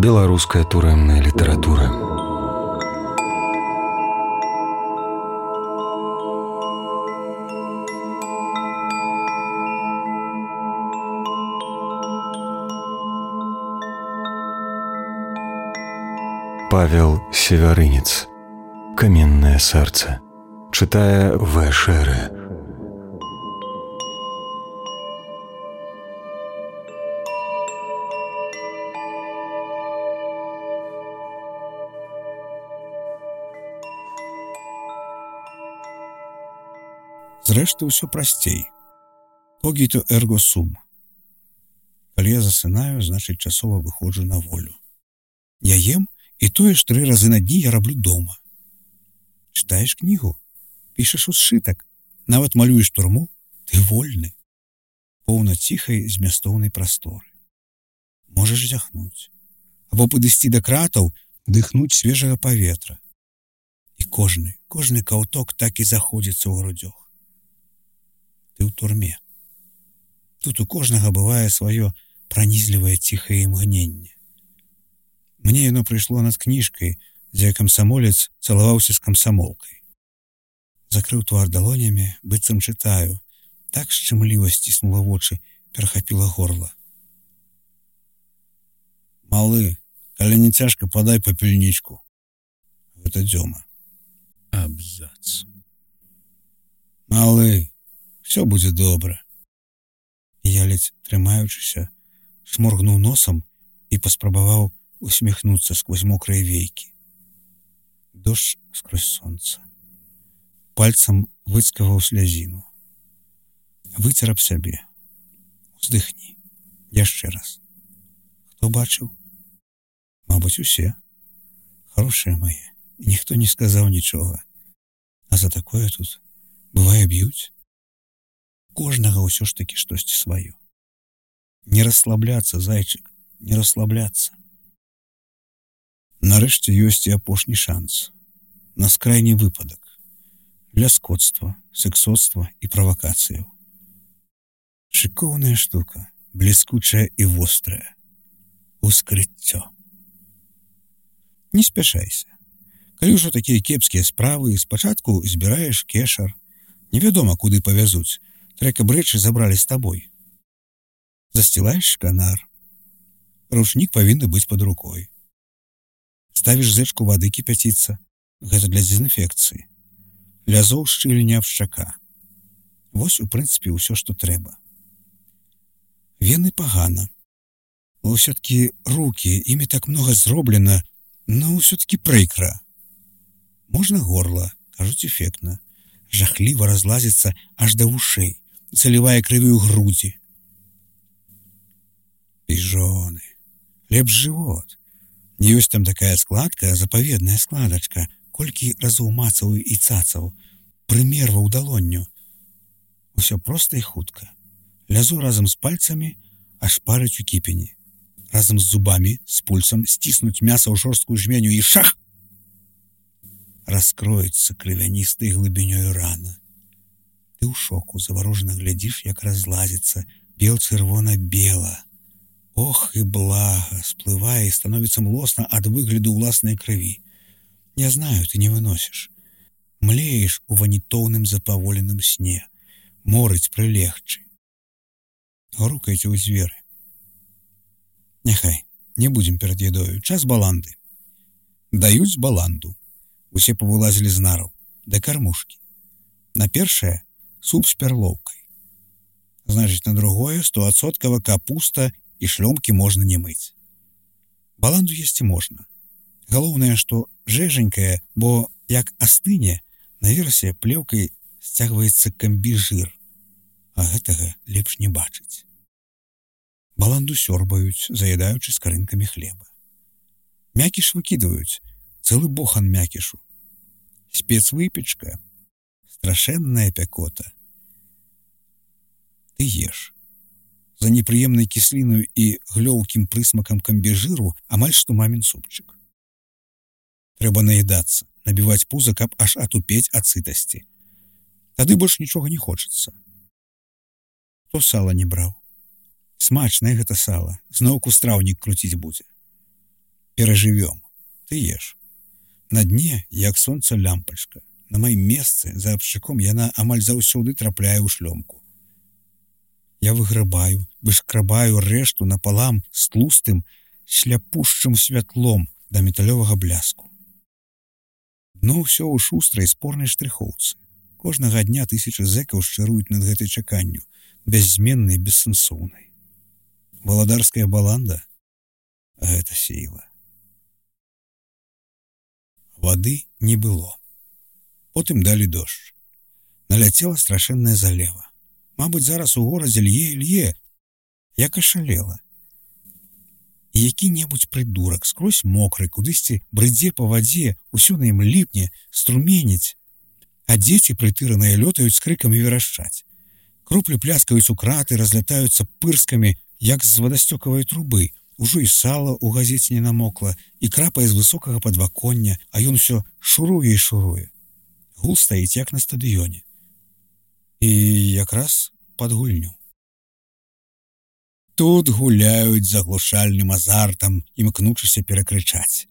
Беларуская турэмная літаратура. Павел Севярынец. «Каменное сердце». Читая В. Шере. Зрэшты, ўсё прасцей. Когіто эрго сум. Калі я засынаю, значыць часова выходжу на волю. Я ем, і тое ж 3 разы на дні я раблю дома. Чытаеш кнігу, пішаш усшытак, нават малюеш турму, ты вольны. Поўна ціхай змястоўнай прасторы. Можаш зяхнуць. Або падысці да кратаў, дыхнуць свежага паветра. І кожны каўток так і заходзіцца ў грудзях. Ты ў турме. Тут у кожнага бывае сваё пранізлівае ціхае імгненне. Мне яно прыйшло над кніжкай, дзе камсамолец цалаваўся з камсамолкай. Закрыў твар далонямі, быццам чытаю. Так шчымліва сціснула вочы, перахапіла горла. Малы, калі не цяжка, падай папельнічку. Гэта Дзёма. Абзац. Малы, все будзе добра. Я ледзь трымаючыся, шморгнуў носам і паспрабаваў усміхнуцца сквозь мокрыя вейкі. Дождж скрозь сонца. Пальцам выцкаваў слязіну. Выцер аб сябе. Уздыхні. Яшчэ раз. Хто бачыў? Мабыць, усе. Хорошыя мае. І ніхто не сказаў нічога. А за такое тут бывае б'юць. Кожнага ўсё ж такі штосьці сваё. Не расслабляцца, зайчык, не расслабляцца. Нарэшце ёсць і апошні шанс. На скрайні выпадак. Для скотства, сексоцтва і правакацыяў. Шыкоўная штука, бліскучая і вострая. Ускрыццё. Не спяшайся. Калі ўжо такія кепскія справы, спачатку збіраеш кешар. Невядома, куды павязуць. Трэка брэчы забралі з табой. Засцілаеш шканар. Ручнік павінны быць пад рукой. Ставіш зэчку вады кіпяціцца. Гэта для дезінфекцыі. Лязоў шчыльня аб шчака. Вось, у прынцыпе, ўсё, што трэба. Вены пагана. Усё-ткі рукі, імі так многа зроблена, но ўсё-ткі прыкра. Можна горла, кажуць, эфектна. Жахліва разлазіцца аж да вушэй, залівае крывію грудзі. Піжоны. Лепш жывот. Ёсць там такая складка, запаведная складачка, колькі разоў мацаў і цацаў, прымерваў далонню. Усё проста і хутка. Лязо разам з пальцамі аж парыць у кіпені. Разам з зубамі, з пульсам сціснуць мяса ў жорсткую жменю і шах! Раскроецца крывяністай глыбінёю рана. Ты ў шоку, заварожана глядзіш, як разлазіцца бел-чырвона-бела. Ох, і блага, сплывае і становіцца млосна ад выгляду ўласнай крыві. Я знаю, ты не выносіш. Млееш у ванітоўным запаволеным сне. Морыць прылегчы. Грукайце ў дзверы. Няхай, не будзем перад едою. Час баланды. Даюць баланду. Усе павылазілі з нараў. Да кармушкі. На першае суп з пярлоўкай. Значыць, на другое 100% капуста і шлёмкі можна не мыць. Баланду есці можна. Галоўнае, што жэжанькае, бо як астыне, наверсе плеўкай сцягваецца камбіжыр. А гэтага лепш не бачыць. Баланду сёрбаюць, заедаючы скарынкамі хлеба. Мякіш выкідваюць, цэлы бохан мякішу. Спецвыпечка, страшэнная пякота. Ты еш. За непрыемнай кіслінаю і глёўкім прысмакам камбіжыру амаль што мамін супчык. Трэба наедацца, набіваць пуза, каб аж атупець ад сытасці. Тады больш нічога не хочацца. Хто сала не браў? Смачнае гэта сала, зноўку страўнік круціць будзе. Перажывём. Ты еш. На дне, як сонца лямпачка. На маім месцы, за абшчыком, яна амаль заўсёды трапляе ў шлёмку. Я выграбаю, вышкрабаю рэшту напалам з тлустым, сляпушчым святлом да металёвага бляску. Дно ўсё ў шустрай спорнай штрыхоўцы. Кожнага дня тысячы зэкаў шчыруюць над гэтай чаканню, бяззменнай, бессэнсоўнай. Валадарская баланда — гэта сіла. Вады не было. Потым далі дождж. Наляцела страшэнная залева. Мабыць, зараз у горадзе лье, як ашалела. І які-небудзь прыдурак скрозь мокры, кудысьці брыдзе па вадзе, усё на ім ліпне, струменіць. А дзеці прытыраныя лётаюць з крыкам і верашчаць. Кроплі пляскаюць у краты, разлятаюцца пырскамі, як з вадасцёкавай трубы. Ужо і сала ў газеце не намокла, і крапае з высокага падваконня, а ён усё шуруе і шуруе. Гул стаіць, як на стадыёне. І якраз пад гульню. Тут гуляюць з аглушальным азартам, імкнучыся перакрычаць.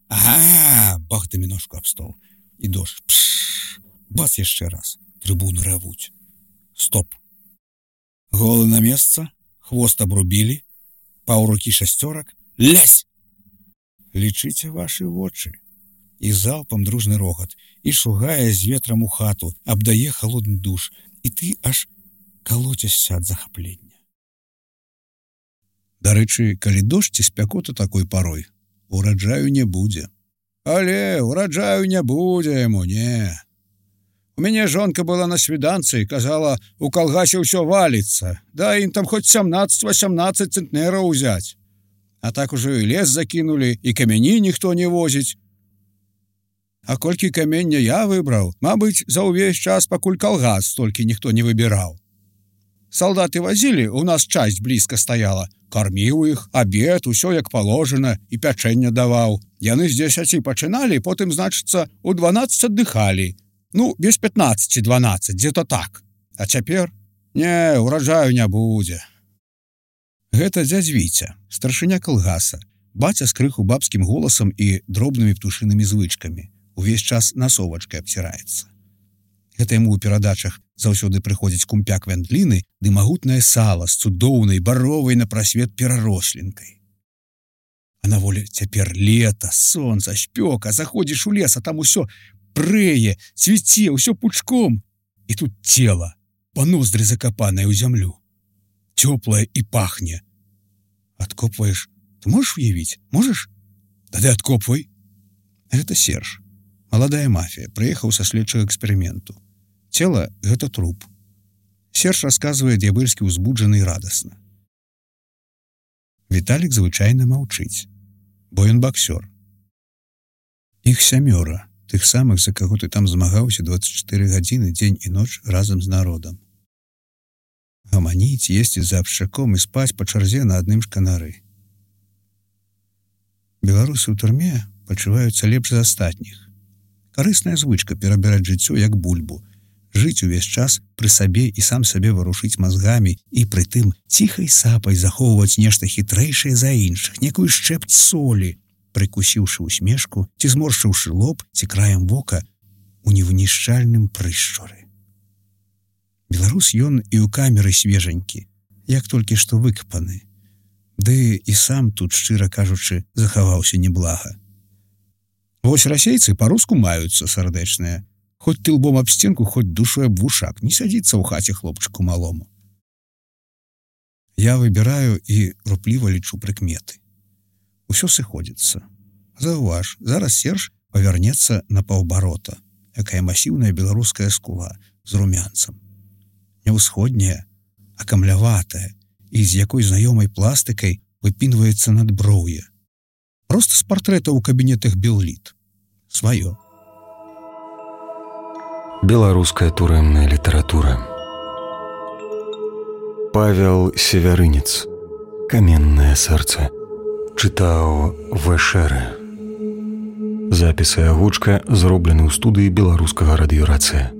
Ага, бах даміношку аб стол. І дождж. Пшш. Бац яшчэ раз. Трыбуны равуць. Стоп. Голы на месца, хвост абрубілі, паўрукі шасцёрак. Лясь! Лічыце вашы вочы. І залпам дружны рогат, і шугае з ветрам у хату, абдае халодны душ, і ты аж калоцяшся ад захаплення. Дарэчы, калі дождж ці спякота такой парой, ураджаю не будзе. Але ураджаю не будзе яму, не. У мяне жонка была на свіданцы і казала, у калгасе ўсё валіцца, да ім там хоць 17-18 цэнтнераў узяць. А так ужо і лес закінулі, і камяні ніхто не возіць. А колькі камення я выбраў, мабыць, за ўвесь час, пакуль калгас столькі ніхто не выбіраў. Салдаты вазілі, у нас часць блізка стаяла, карміў іх, абед, усё як положена, і пячэнне даваў. Яны з 10 пачыналі, потым, значыцца, у 12 аддыхалі. Ну, без 15-12, дзе-то так. А цяпер? Не, ураджаю не будзе. Гэта дзядзь Віця, старшыня калгаса, баця з крыху бабскім голасам і дробнымі птушынымі звычкамі. Увесь час насовачкай абціраецца. Гэта яму ў перадачах заўсёды прыходзіць кумпяк вяндліны ды магутнае сала з цудоўнай баровай на прасвет перарослінкай. А на волі цяпер лета, сонца, спёка, заходзіш у лес, а там усё прэе, цвіце, усё пучком. І тут цела, па ноздры закапанае ў зямлю. Цёплае і пахне. Адкопваеш. Ты можаш уявіць? Можаш? Тады адкопвай. Гэта Серж. Маладая мафія, прыехаў са следчага эксперыменту. Цела — гэта труп. Серж расказвае д'ябэльскі ўзбуджаны і радасна. Віталік звычайна маўчыць, бо ён баксёр. Іх 7, тых самых, за каго ты там змагаўся 24 гадзіны, дзень і ноч разам з народам. Гаманіць, есці за абшчаком і спаць па чарзе на адным шканары. Беларусы ў турме пачуваюцца лепш за астатніх. Карысная звычка перабіраць жыццё як бульбу, жыць увесь час пры сабе і сам сабе варушыць мазгамі і прытым ціхай сапай захоўваць нешта хітрэйшае за іншых, некую шчэпць солі, прыкусіўшы усмешку, ці зморшчыўшы лоб, ці краем вока у невынішчальным прышчуры. Беларус ён і ў камеры свежанькі, як толькі што выкапаны. Ды і сам тут, шчыра кажучы, захаваўся неблага. Вось расейцы па-руску маюцца сардэчныя. Хоць ты лбом аб сценку, хоць душой аб вушак, не сядзіцца ў хаце хлопчыку малому. Я выбіраю і рупліва лічу прыкметы. Усё сыходзіцца. Заўваж, зараз Серж павярнецца на паўбарота, якая масіўная беларуская скула з румянцам. Не ўсходняя, а камляватая, і з якой знаёмай пластыкай выпінваецца надброўе. Проста з партрэта ў кабінетах Белліт. Сваё. Беларуская турэмная літаратура. Павел Севярынец. Каменнае сэрца. Чытаў В.Шэрэ. Запіс і агучка зроблены ў студыі беларускага радыёрацыя.